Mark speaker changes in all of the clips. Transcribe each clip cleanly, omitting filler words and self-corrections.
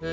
Speaker 1: I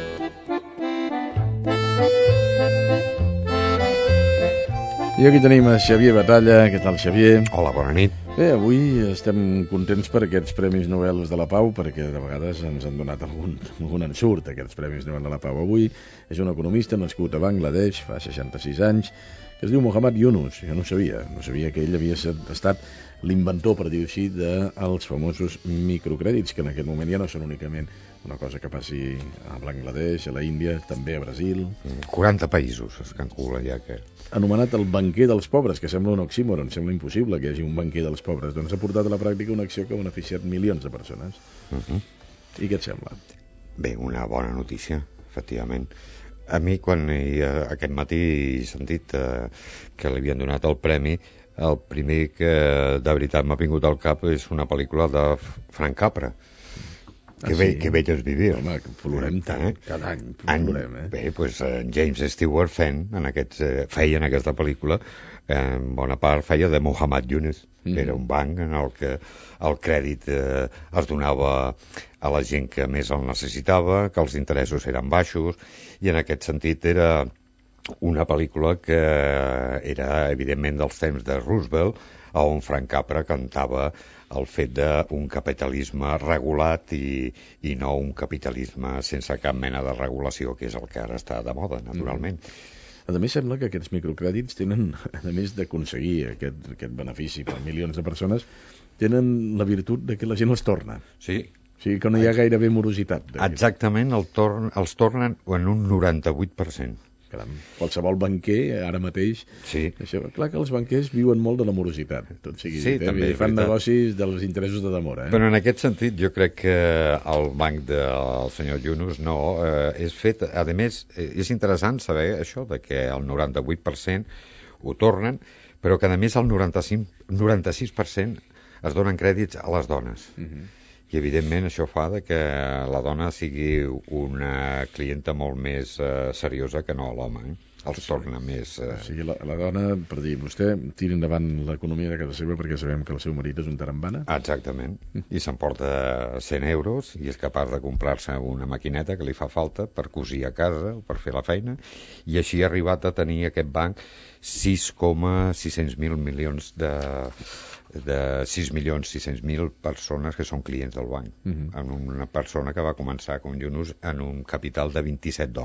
Speaker 1: aquí tenim a Xavier Batalla. Què tal, Xavier?
Speaker 2: Hola, bona nit.
Speaker 1: Bé, avui estem contents per aquests Premis Nobel de la Pau, perquè de vegades ens han donat algun ensurt, aquests Premis Nobel de la Pau. Avui és un economista nascut a Bangladesh fa 66 anys, que es diu Muhammad Yunus. Jo no sabia que ell havia estat l'inventor, per dir-ho així, dels famosos microcrèdits, que en aquest moment ja no són únicament una cosa que passi a Bangladesh, a la Índia, també a Brasil.
Speaker 2: 40 països es calcula ja que...
Speaker 1: Anomenat el banquer dels pobres, que sembla un oxímoron, sembla impossible que hi hagi un banquer dels pobres. Doncs ha portat a la pràctica una acció que ha beneficiat milions de persones. I què et sembla?
Speaker 2: Bé, una bona notícia, efectivament. A mi, quan aquest matí he sentit que li havien donat el premi, el primer que de veritat m'ha vingut al cap és una pel·lícula de Frank Capra. Que vell és vivir.
Speaker 1: Home, que plorem tant, cada any plorem,
Speaker 2: Bé, doncs James Stewart feia en aquesta pel·lícula, en bona part feia de Muhammad Yunus, que era un banc en el que el crèdit es donava a la gent que més el necessitava, que els interessos eren baixos, i en aquest sentit era una pel·lícula que era evidentment dels temps de Roosevelt, on Frank Capra cantava el fet d'un capitalisme regulat i no un capitalisme sense cap mena de regulació, que és el que ara està de moda, naturalment.
Speaker 1: A més, sembla que aquests microcrèdits tenen, a més d'aconseguir aquest benefici per milions de persones, tenen la virtut de que la gent els torna.
Speaker 2: Sí.
Speaker 1: O sigui que no hi ha gairebé morositat.
Speaker 2: Exactament, els tornen en un 98%.
Speaker 1: Caram, qualsevol banquer ara mateix...
Speaker 2: Sí.
Speaker 1: Això, clar que els banquers viuen molt de la morositat, tot sigui dit,
Speaker 2: també,
Speaker 1: fan negocis dels interessos de demora.
Speaker 2: Però en aquest sentit jo crec que el banc del senyor Yunus és fet, a més, és interessant saber això, de que el 98% ho tornen, però que a més el 96% es donen crèdits a les dones. I evidentment això fa que la dona sigui una clienta molt més seriosa que no l'home, els torna més...
Speaker 1: O sigui, la dona, per dir, vostè tira endavant l'economia de casa seva perquè sabem que el seu marit és un tarambana.
Speaker 2: Exactament, i s'emporta 100 euros i és capaç de comprar-se una maquineta que li fa falta per cosir a casa o per fer la feina, i així ha arribat a tenir aquest banc 6,600.000 milions de 6.600.000 persones que són clients del banc, amb una persona que va començar com Yunus en un capital de $27.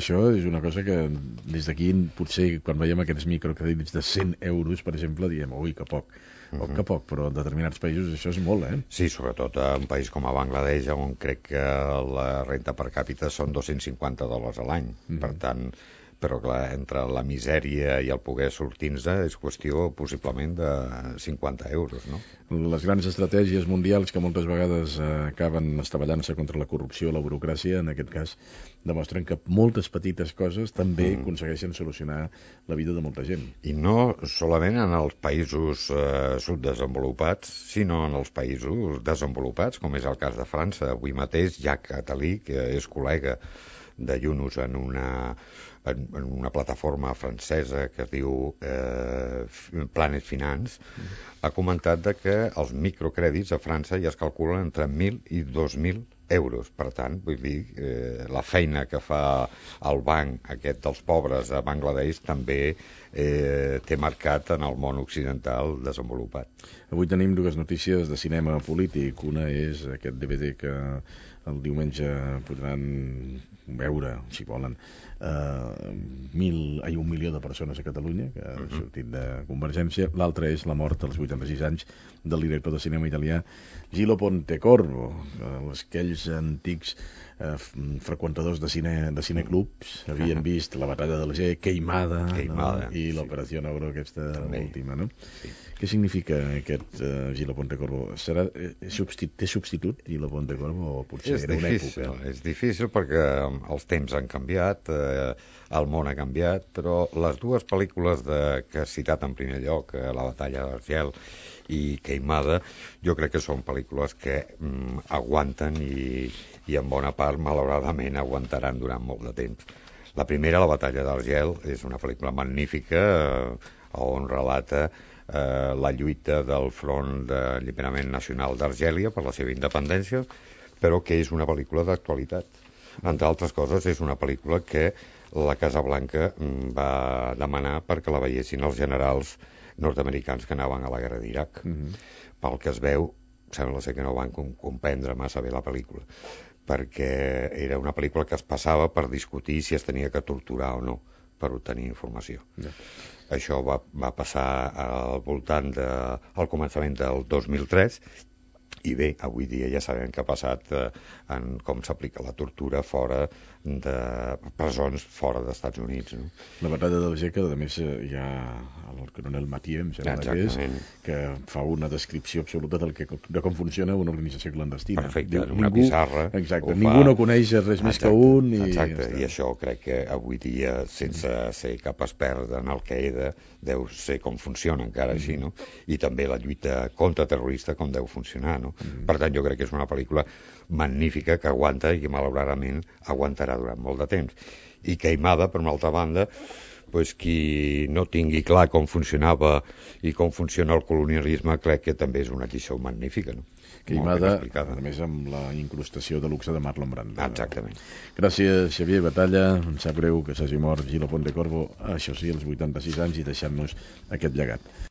Speaker 1: Això és una cosa que des d'aquí potser quan veiem aquests microcrèdits de 100 euros, per exemple, diem, ui, que poc, que poc, però en determinats països això és molt,
Speaker 2: Sí, sobretot en un país com a Bangladesh, on crec que la renta per càpita són $250 a l'any, per tant... Però clar, entre la misèria i el poder sortir-ne és qüestió possiblement de 50 euros, no?
Speaker 1: Les grans estratègies mundials que moltes vegades acaben estavellant-se contra la corrupció i la burocràcia, en aquest cas demostren que moltes petites coses també aconsegueixen solucionar la vida de molta gent.
Speaker 2: I no solament en els països subdesenvolupats, sinó en els països desenvolupats, com és el cas de França. Avui mateix Jacques Attali, que és col·lega de Yunus en una plataforma francesa que es diu Planet Finance, ha comentat que els microcrèdits a França ja es calculen entre 1.000 i 2.000 euros. Per tant, vull dir, la feina que fa el banc aquest dels pobres a Bangladesh també té marcat en el món occidental desenvolupat.
Speaker 1: Avui tenim dues notícies de cinema polític. Una és aquest DVD que el diumenge podran veure, si volen, 1 milió de persones a Catalunya, que ha sortit de Convergència. L'altra és la mort als 86 anys del director de cinema italià Gillo Pontecorvo. Aquells antics freqüentadors de cineclubs havien vist La batalla d'Alger, Queimada, i l'Operació Ogro, aquesta última, no? Sí. Què significa aquest Gillo Pontecorvo? Té substitut Gillo Pontecorvo o potser era una època?
Speaker 2: És difícil perquè els temps han canviat, el món ha canviat, però les dues pel·lícules que has citat en primer lloc, La batalla d'Argel i Queimada, jo crec que són pel·lícules que aguanten i en bona part, malauradament, aguantaran durant molt de temps. La primera, La batalla d'Argel, és una pel·lícula magnífica on relata la lluita del Front d'Alliberament Nacional d'Argèlia per la seva independència, però que és una pel·lícula d'actualitat. Entre altres coses, és una pel·lícula que la Casa Blanca va demanar perquè la veiessin els generals nord-americans que anaven a la guerra d'Iraq. Pel que es veu, sembla ser que no van comprendre massa bé la pel·lícula, perquè era una pel·lícula que es passava per discutir si es tenia que torturar o no per obtenir informació. Això va passar al voltant al començament del 2003, i bé, avui dia ja sabem què ha passat en com s'aplica la tortura fora de presons fora dels Estats Units. No?
Speaker 1: La batalla d'Alger, que a més hi ha el coronel Mathieu, que fa una descripció absoluta de com funciona una organització clandestina.
Speaker 2: Perfecte, una pissarra.
Speaker 1: Exacte, ningú no coneix res més que un.
Speaker 2: Exacte, i això crec que avui dia, sense ser cap expert en el que era, deu ser com funciona encara així, no? I també la lluita contra terrorista com deu funcionar, no? Per tant, jo crec que és una pel·lícula magnífica que aguanta i que malauradament aguantarà durant molt de temps. I Queimada, per una altra banda, pues, qui no tingui clar com funcionava i com funciona el colonialisme, crec que també és una lliçó magnífica, no?
Speaker 1: Queimada, a més amb la incrustació de luxe de Marlon Brando.
Speaker 2: Exactament.
Speaker 1: Gràcies, Xavier Batalla. Em sap greu que s'hagi mort Gilo Pontecorvo, això sí, als 86 anys, i deixant-nos aquest llegat.